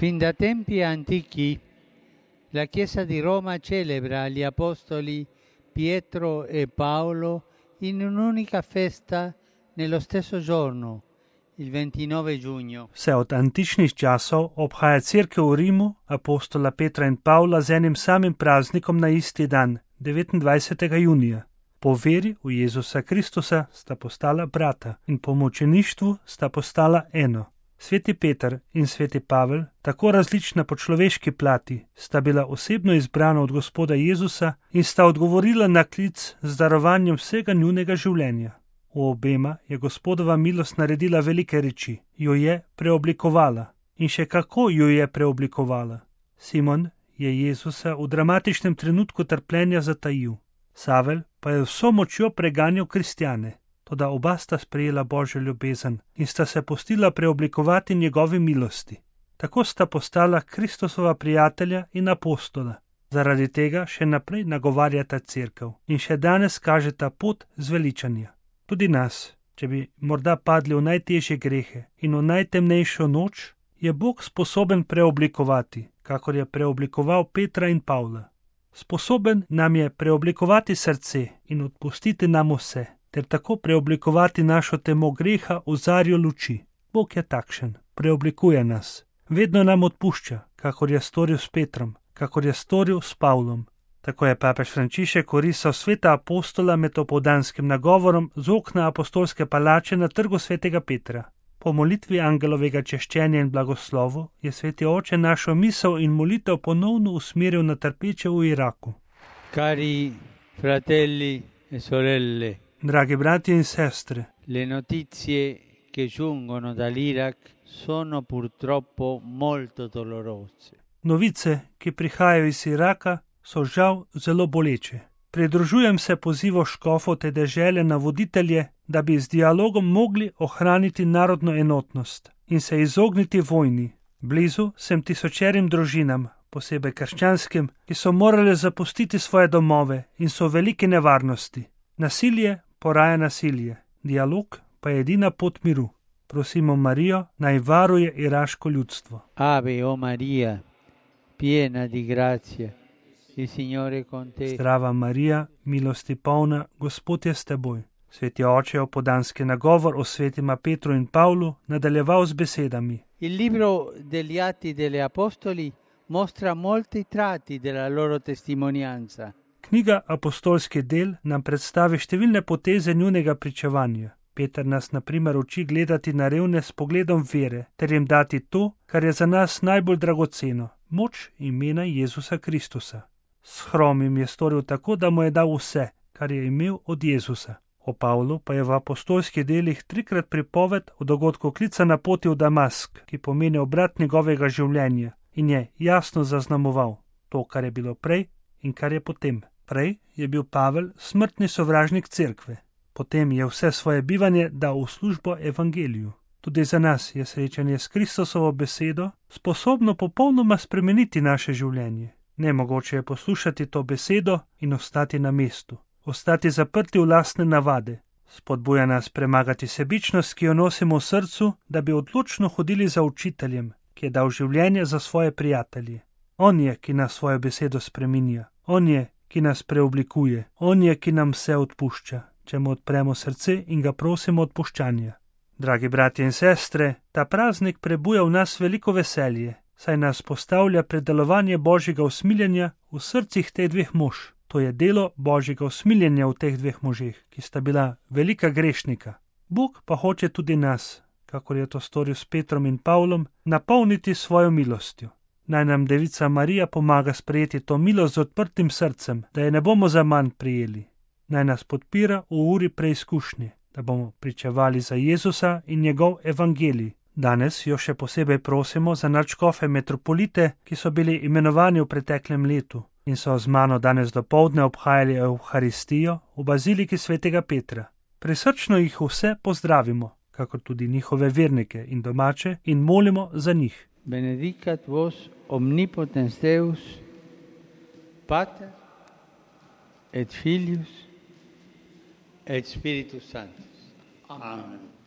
Fin da tempi antichi la Chiesa di Roma celebra gli Apostoli Pietro e Paolo in un'unica festa nello stesso giorno, il 29 giugno. Vse od antičnih časov obhaja Cerkev v Rimu apostola Petra in Pavla z enim samim praznikom na isti dan, 29. junija. Po veri v Jezusa Kristusa sta postala brata in po mučeništvu sta postala eno. Sveti Peter in sveti Pavel, tako različna po človeški plati, sta bila osebno izbrana od Gospoda Jezusa in sta odgovorila na klic z darovanjem vsega njunega življenja. V obema je Gospodova milost naredila velike reči, jo je preoblikovala in še kako jo je preoblikovala. Simon je Jezusa v dramatičnem trenutku trpljenja zatajil, Savel pa je vso močjo preganjal kristjane. Toda oba sta sprejela Božjo ljubezen in sta se pustila preoblikovati njegovi milosti. Tako sta postala Kristusova prijatelja in apostola. Zaradi tega še naprej nagovarjata cerkev in še danes kažeta pot zveličanja. Tudi nas, če bi morda padli v najtežje grehe in v najtemnejšo noč, je Bog sposoben preoblikovati, kakor je preoblikoval Petra in Pavla. Sposoben nam je preoblikovati srce in odpustiti nam vse, ter tako preoblikovati našo temo greha v zarjo luči. Bog je takšen, preoblikuje nas. Vedno nam odpušča, kakor je storil s Petrom, kakor je storil s Pavlom. Tako je papež Frančišek orisal sveta apostola med opoldanskim nagovorom z okna apostolske palače na trgu svetega Petra. Po molitvi angelovega češčenja in blagoslovu je sveti oče našo misel in molitev ponovno usmeril na trpeče v Iraku. Cari fratelli e sorelle, Dragi bratje in sestre, le notizie che giungono dall'Iraq sono purtroppo molto dolorose. novice, ki prihajajo iz Iraka, so žal zelo boleče. Pridružujem se pozivu škofov te dežele na voditelje, da bi z dialogom mogli ohraniti narodno enotnost in se izogniti vojni. Blizu sem tisočerim družinam, posebej krščanskim, ki so morali zapustiti svoje domove in so v veliki nevarnosti. Nasilje poraja nasilje, dialog pa je edina pot miru. Prosimo Marijo, naj varuje iraško ljudstvo. Ave o Maria, piena di grazia, il Signore è con te. Zdrava Marija, milosti polna, Gospod je s teboj. Sveti oče je opodanski nagovor o svetima Petru in Pavlu nadaljeval z besedami. Il libro degli Atti degli Apostoli mostra molti tratti della loro testimonianza. Knjiga Apostolski del nam predstavi številne poteze njunega pričevanja. Peter nas na primer uči gledati na revne s pogledom vere, ter jim dati to, kar je za nas najbolj dragoceno, moč imena Jezusa Kristusa. S hromim je storil tako, da mu je dal vse, kar je imel od Jezusa. O Pavlu pa je v apostolskih delih 3krat pripoved o dogodku klica na poti v Damask, ki pomeni obrat njegovega življenja in je jasno zaznamoval to, kar je bilo prej in kar je potem. Prej je bil Pavel smrtni sovražnik cerkve, potem je vse svoje bivanje dal v službo evangeliju. Tudi za nas je srečanje s Kristusovo besedo sposobno popolnoma spremeniti naše življenje. Nemogoče je poslušati to besedo in ostati na mestu, ostati zaprti v lastne navade. Spodbuja nas premagati sebičnost, ki jo nosimo v srcu, da bi odločno hodili za učiteljem, ki je dal življenje za svoje prijatelje. On je, ki nas svojo besedo spreminja. On je, ki nas preoblikuje. On je, ki nam vse odpušča, če mu odpremo srce in ga prosimo odpuščanja. Dragi bratje in sestre, ta praznik prebuja v nas veliko veselje, saj nas postavlja pred delovanje Božjega usmiljenja v srcih teh dveh mož. To je delo Božjega usmiljenja v teh dveh možeh, ki sta bila velika grešnika. Bog pa hoče tudi nas, kakor je to storil s Petrom in Pavlom, napolniti svojo milostjo. Naj nam Devica Marija pomaga sprejeti to milost z odprtim srcem, da je ne bomo zaman prijeli. Naj nas podpira v uri preizkušnje, da bomo pričevali za Jezusa in njegov evangelij. Danes jo še posebej prosimo za nadškofe metropolite, ki so bili imenovani v preteklem letu in so z mano danes dopoldne obhajali Evharistijo v baziliki svetega Petra. Prisrčno jih vse pozdravimo, kakor tudi njihove vernike in domače, in molimo za njih. Benedicat vos omnipotens Deus, Pater et Filius et Spiritus Sanctus. Amen.